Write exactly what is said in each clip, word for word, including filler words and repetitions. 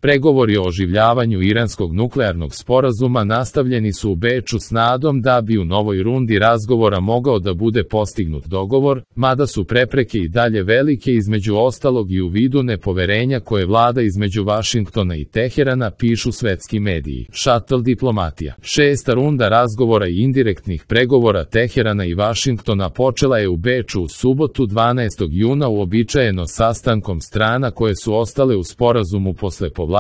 Pregovori o oživljavanju iranskog nuklearnog sporazuma nastavljeni su u Beču s nadom da bi u novoj rundi razgovora mogao da bude postignut dogovor, mada su prepreke i dalje velike, između ostalog i u vidu nepoverenja koje vlada između Vašingtona i Teherana, pišu svetski mediji. Shuttle diplomatija. Šesta runda razgovora i indirektnih pregovora Teherana i Vašingtona počela je u Beču u subotu dvanaestog juna uobičajeno sastankom strana koje su ostale u sporazumu posle povlačenja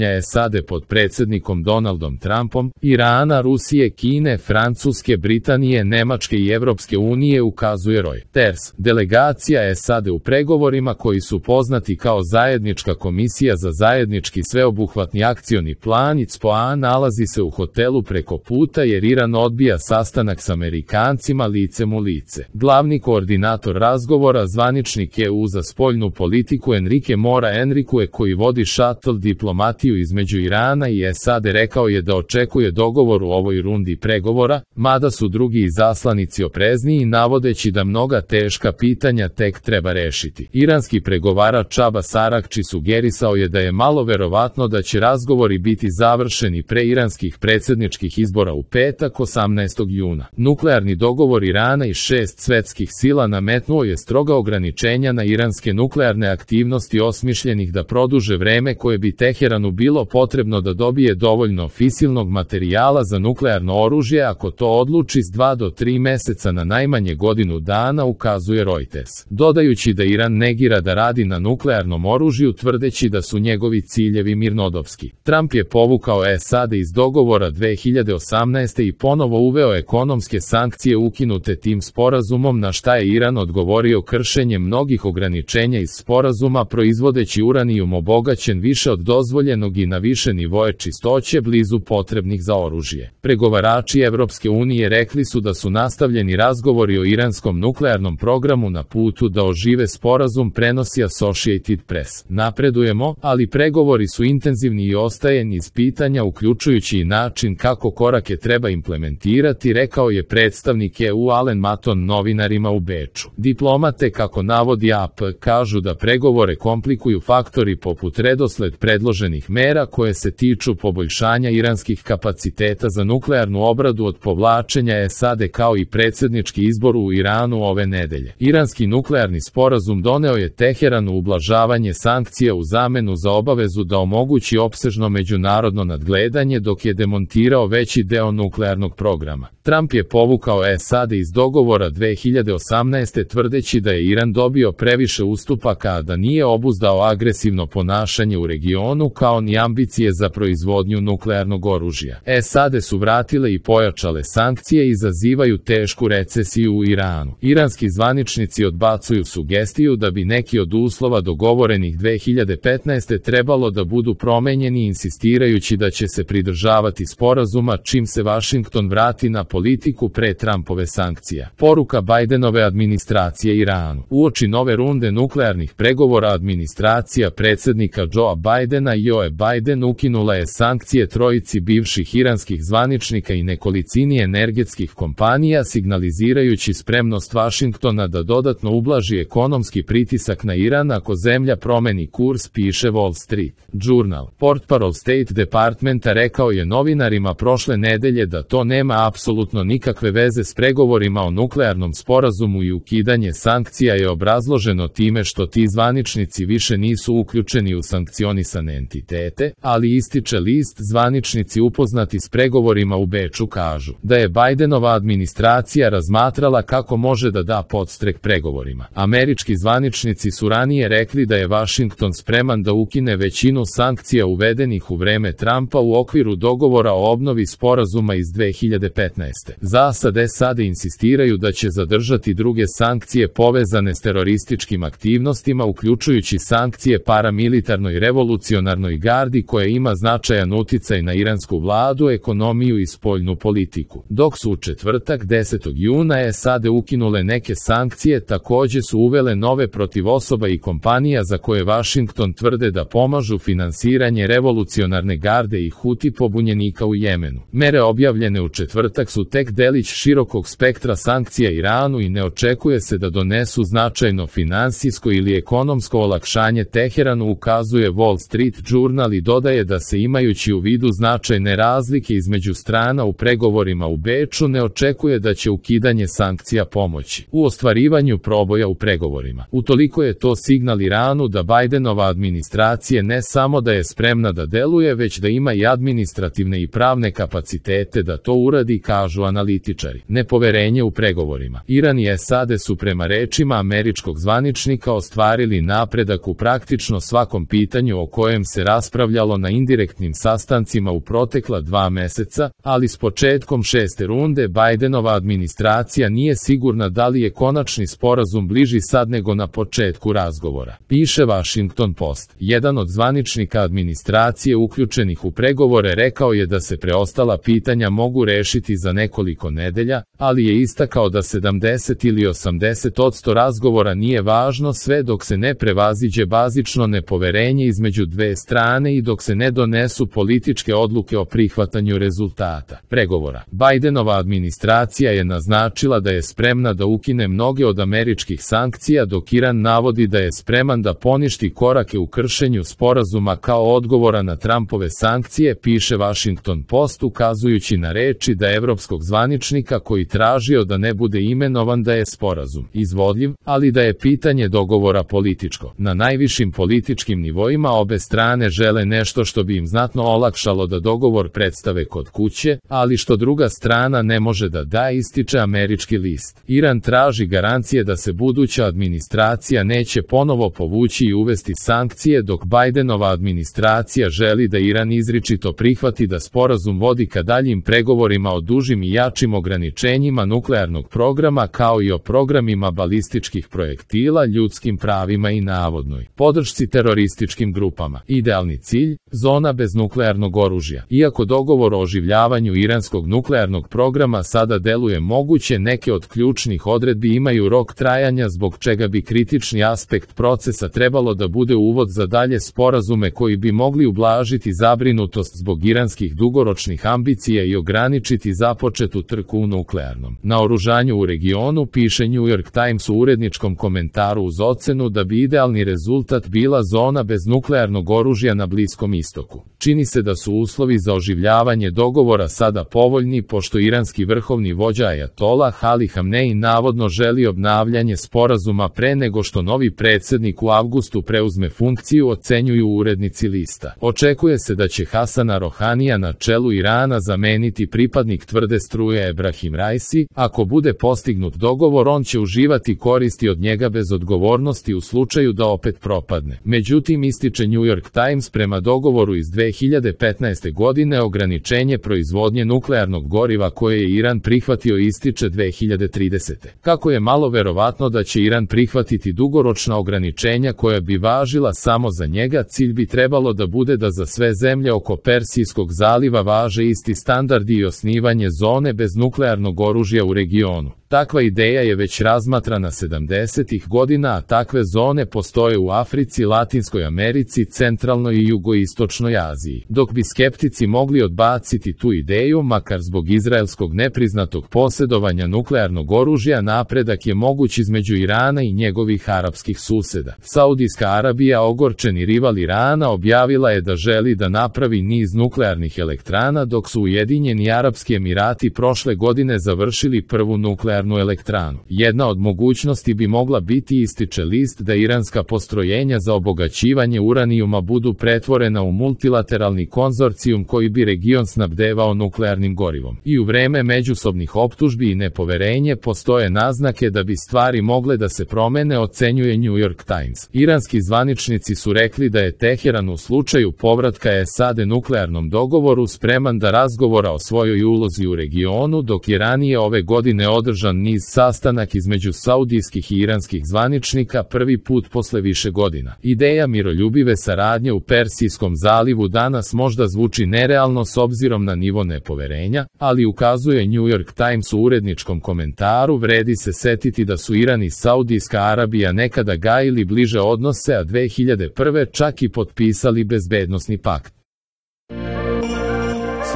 S A D pod predsjednikom Donaldom Trumpom, Irana, Rusije, Kine, Francuske, Britanije, Nemačke i Evropske unije, ukazuje Reuters. Delegacija S A D u pregovorima, koji su poznati kao Zajednička komisija za zajednički sveobuhvatni akcioni plan I C P O A, nalazi se u hotelu preko puta jer Iran odbija sastanak s Amerikancima licem u lice. Glavni koordinator razgovora, zvaničnik E U za spoljnu politiku Enrique Mora Enrique, koji vodi shuttle diplomatiju između Irana i S A D, rekao je da očekuje dogovor u ovoj rundi pregovora, mada su drugi izaslanici oprezniji, navodeći da mnoga teška pitanja tek treba rešiti. Iranski pregovarač Abbas Aragči sugerisao je da je malo verovatno da će razgovori biti završeni pre iranskih predsjedničkih izbora u petak osamnaestog juna. Nuklearni dogovor Irana i šest svetskih sila nametnuo je stroga ograničenja na iranske nuklearne aktivnosti osmišljenih da produže vreme koje bi Teheranu bilo potrebno da dobije dovoljno fisilnog materijala za nuklearno oružje ako to odluči s dva do tri meseca na najmanje godinu dana, ukazuje Reuters. Dodajući da Iran negira da radi na nuklearnom oružju, tvrdeći da su njegovi ciljevi mirnodopski. Trump je povukao S A D iz dogovora dve hiljade osamnaeste. i ponovo uveo ekonomske sankcije ukinute tim sporazumom, na šta je Iran odgovorio kršenjem mnogih ograničenja iz sporazuma, proizvodeći uranijum obogaćen više od dozvoljenog i na više nivoe čistoće blizu potrebnih za oružje. Pregovarači Evropske unije rekli su da su nastavljeni razgovori o iranskom nuklearnom programu na putu da ožive sporazum, prenosi Associated Press. Napredujemo, ali pregovori su intenzivni i ostaje niz pitanja, uključujući i način kako korake treba implementirati, rekao je predstavnik E U Alen Maton novinarima u Beču. Diplomate, kako navodi A P, kažu da pregovore komplikuju faktori poput redosled predloženih mera koje se tiču poboljšanja iranskih kapaciteta za nuklearnu obradu od povlačenja S A D, kao i predsjednički izbor u Iranu ove nedelje. Iranski nuklearni sporazum doneo je Teheranu ublažavanje sankcija u zamenu za obavezu da omogući opsežno međunarodno nadgledanje, dok je demontirao veći deo nuklearnog programa. Trump je povukao S A D iz dogovora dve hiljade osamnaeste. tvrdeći da je Iran dobio previše ustupaka, a da nije obuzdao agresivno ponašanje u regionu, kao ni ambicije za proizvodnju nuklearnog oružja. S A D su vratile i pojačale sankcije i izazivaju tešku recesiju u Iranu. Iranski zvaničnici odbacuju sugestiju da bi neki od uslova dogovorenih dve hiljade petnaeste. trebalo da budu promenjeni, insistirajući da će se pridržavati sporazuma čim se Vašington vrati na politiku pre Trumpove sankcija. Poruka Bidenove administracije Iranu. Uoči nove runde nuklearnih pregovora administracija predsjednika Joea Bidena i Joe Biden ukinula je sankcije trojici bivših iranskih zvaničnika i nekolicini energetskih kompanija, signalizirajući spremnost Vašingtona da dodatno ublaži ekonomski pritisak na Iran ako zemlja promeni kurs, piše Wall Street Journal. Portparol State Departmenta rekao je novinarima prošle nedelje da to nema apsolutno nikakve veze s pregovorima o nuklearnom sporazumu i ukidanje sankcija je obrazloženo time što ti zvaničnici više nisu uključeni u sankcionisane entitete, ali ističe list, zvaničnici upoznati s pregovorima u Beču kažu da je Bidenova administracija razmatrala kako može da da podstrek pregovorima. Američki zvaničnici su ranije rekli da je Vašington spreman da ukine većinu sankcija uvedenih u vreme Trumpa u okviru dogovora o obnovi sporazuma iz dve hiljade petnaeste. Za sad S A D insistiraju da će zadržati druge sankcije povezane s terorističkim aktivnostima, uključujući sankcije paramilitarnoj revolucionarnoj gardi koja ima značajan uticaj na iransku vladu, ekonomiju i spoljnu politiku. Dok su u četvrtak desetog juna S A D ukinule neke sankcije, takođe su uvele nove protiv osoba i kompanija za koje Vašington tvrde da pomažu finansiranje revolucionarne garde i Huti pobunjenika u Jemenu. Mere objavljene u četvrtak su su tek delić širokog spektra sankcija Iranu i ne očekuje se da donesu značajno finansijsko ili ekonomsko olakšanje Teheranu, ukazuje Wall Street Journal i dodaje da se, imajući u vidu značajne razlike između strana u pregovorima u Beču, ne očekuje da će ukidanje sankcija pomoći u ostvarivanju proboja u pregovorima. Utoliko je to signal Iranu da Bajdenova administracija ne samo da je spremna da deluje, već da ima i administrativne i pravne kapacitete da to uradi, kažu analitičari. Nepoverenje u pregovorima. Iran i S A D su prema rečima američkog zvaničnika ostvarili napredak u praktično svakom pitanju o kojem se raspravljalo na indirektnim sastancima u protekla dva meseca, ali s početkom šeste runde Bajdenova administracija nije sigurna da li je konačni sporazum bliži sad nego na početku razgovora. Piše Washington Post. Jedan od zvaničnika administracije uključenih u pregovore rekao je da se preostala pitanja mogu rešiti za nekoliko nedelja, ali je istakao da sedamdeset ili osamdeset odsto razgovora nije važno sve dok se ne prevaziđe bazično nepoverenje između dve strane i dok se ne donesu političke odluke o prihvatanju rezultata pregovora. Bajdenova administracija je naznačila da je spremna da ukine mnoge od američkih sankcija, dok Iran navodi da je spreman da poništi korake u kršenju sporazuma kao odgovora na Trumpove sankcije, piše Washington Post, ukazujući na reči da evropskog zvaničnika koji tražio da ne bude imenovan da je sporazum izvodljiv, ali da je pitanje dogovora političko. Na najvišim političkim nivoima obe strane žele nešto što bi im znatno olakšalo da dogovor predstave kod kuće, ali što druga strana ne može da da, ističe američki list. Iran traži garancije da se buduća administracija neće ponovo povući i uvesti sankcije, dok Bajdenova administracija želi da Iran izričito prihvati da sporazum vodi ka daljim pregovorima o dužim i jačim ograničenjima nuklearnog programa, kao i o programima balističkih projektila, ljudskim pravima i navodnoj podršci terorističkim grupama. Idealni cilj, zona bez nuklearnog oružja. Iako dogovor o oživljavanju iranskog nuklearnog programa sada deluje moguće, neke od ključnih odredbi imaju rok trajanja, zbog čega bi kritični aspekt procesa trebalo da bude uvod za dalje sporazume koji bi mogli ublažiti zabrinutost zbog iranskih dugoročnih ambicija i ograničiti započetu trku u nuklearnom naoružanju u regionu, piše New York Times u uredničkom komentaru, uz ocenu da bi idealni rezultat bila zona bez nuklearnog oružja na Bliskom istoku. Čini se da su uslovi za oživljavanje dogovora sada povoljni, pošto iranski vrhovni vođa Ajatola Ali Hamneji navodno želi obnavljanje sporazuma pre nego što novi predsjednik u avgustu preuzme funkciju, ocenjuju urednici lista. Očekuje se da će Hasana Rohanija na čelu Irana zameniti pripadnik tvrde struje Ebrahim Raisi. Ako bude postignut dogovor, on će uživati koristi od njega bez odgovornosti u slučaju da opet propadne. Međutim, ističe New York Times, prema dogovoru iz dve hiljade petnaeste godine ograničenje proizvodnje nuklearnog goriva koje je Iran prihvatio ističe dve hiljade tridesete. Kako je malo verovatno da će Iran prihvatiti dugoročna ograničenja koja bi važila samo za njega, cilj bi trebalo da bude da za sve zemlje oko Persijskog zaliva važe isti standardi i osnivanje zone bez nuklearnog oružja u regionu. Takva ideja je već razmatrana sedamdesetih godina, a takve zone postoje u Africi, Latinskoj Americi, centralnoj i jugoistočnoj Aziji. Dok bi skeptici mogli odbaciti tu ideju, makar zbog izraelskog nepriznatog posjedovanja nuklearnog oružja, napredak je moguć između Irana i njegovih arapskih suseda. Saudijska Arabija, ogorčeni rival Irana, objavila je da želi da napravi niz nuklearnih elektrana, dok su Ujedinjeni Arapski Emirati prošle godine završili prvu nuklearnu elektranu. Jedna od mogućnosti bi mogla biti, ističe list, da iranska postrojenja za obogaćivanje uranijuma budu pretvorena u multilateralni konzorcijum koji bi region snabdevao nuklearnim gorivom. I u vreme međusobnih optužbi i nepoverenje postoje naznake da bi stvari mogle da se promene, ocenjuje New York Times. Iranski zvaničnici su rekli da je Teheran u slučaju povratka S A D nuklearnom dogovoru spreman da razgovora o svojoj ulozi u regionu, dok je ranije ove godine održan niz sastanak između saudijskih i iranskih zvaničnika, prvi put posle više godina. Ideja miroljubive saradnje u Persijskom zalivu danas možda zvuči nerealno s obzirom na nivo nepoverenja, ali ukazuje New York Times u uredničkom komentaru, vredi se setiti da su Iran i Saudijska Arabija nekada gajili bliže odnose, a dve hiljade prve čak i potpisali bezbednosni pakt.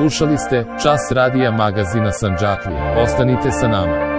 Slušali ste Čas radija magazina Sandžaklija. Ostanite sa nama.